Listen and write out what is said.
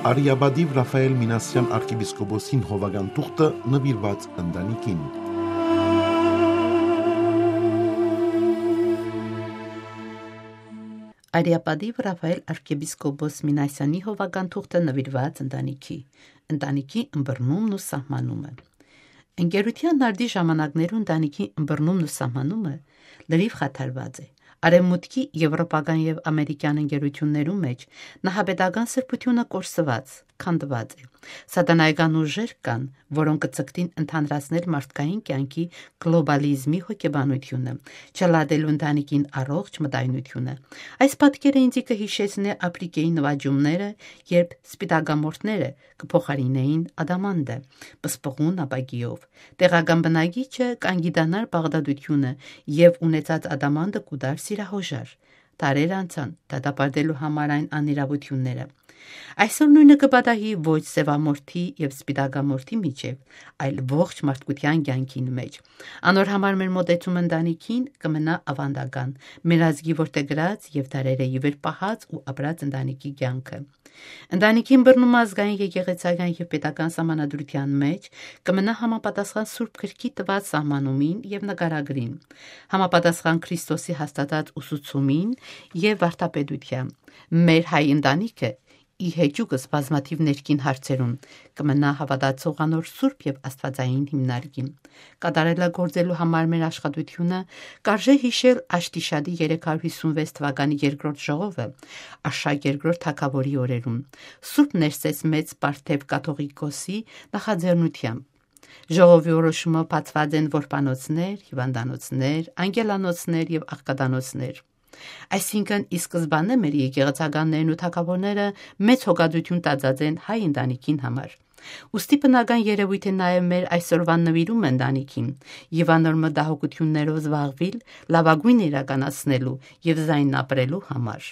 Արիաբադիվ Ռաֆայել Մինասյան arczepiskopոսին հովագան թուղթը նվիրված ընտանիքին։ Արիաբադիվ Ռաֆայել arczepiskopos Մինասյանի հովագան թուղթը նվիրված ընտանիքի ըմբռնումն ու սահմանումը։ Ընկերության նարդի ժամանակներում ընտանիքի ըմբռնումն ու սահմանումը լրիվ խաթարված է։ Արևմուտքի եվրոպական եւ ամերիկյան ընկերություններում մեջ նահաբեդական սրբությունը կորսված, քանդված է։ Սատանայական ուժեր կան, որոնք կցկտին ընդհանրացնել մարդկային կյանքի գլոբալիզմի հոգեբանությունը, չլատելու ընտանիքին առողջ մտայնությունը։ Այս պատկերը ինձ կհիշեցնի Աֆրիկայի նվաճումները, երբ սպիտակամորթները կփոխարինեին ադամանդը, պսպղուն ապակիով։ Տեղական բնակիչը կանգիտանար բաղդադությունը եւ ունեցած ադամանդը կուտար սիրահոժար։ Տարեր անցան դատապարտելու համար այն անիրավությունները։ Այսօր նույնը կպատահի ոչ սևամորթի եւ սպիտակամորթի միջև, այլ ողջ մարդկության կյանքին մեջ։ Անոր համար մեր մոտեցումը ընտանիքին կմնա ավանդական, մեր ազգի որդեգրած եւ դարերը ի վեր պահած ու ապրած ընտանիքի կյանքը։ Ընտանիքին բռնում ազգային եկեղեցական եւ պետական սահմանադրության մեջ կմնա համապատասխան Սուրբ Գրքի տված սահմանումին եւ նկարագրին, համապատասխան Քրիստոսի հաստատած ուսուցումին եւ վարդապետության։ Մեր հայ ընտանիքը ի հեճուկս բազմաթիվ ներքին հարցերում կմնա հավատացող անոր սուրբ եւ աստվածային հիմնարկին։ Կատարելագործելու համար մեր աշխատությունը կարժե հիշել Աշտիշադի 356 թվականի երկրորդ ժողովը Աշակ երկրորդ թագավորի օրերում Սուրբ Ներսես մեծ Պարթև կաթողիկոսի նախաձեռնությամբ։ Ժողովի որոշումը բացված են որբանոցներ, հիվանդանոցներ, անգելանոցներ եւ աղքատանոցներ։ Այսինքն ի սկզբանե մեր եկեղեցականներն ու թագավորները մեծ հոգատություն տածած են հայ ընտանիքին համար։ Ուստի բնական երևույթ է նաև մեր այսօրվան նվիրումը ընտանիքին եւ անոր մտահոգություններով զբաղվել, լավագույնը իրականացնելու եւ զայն ապրելու համար։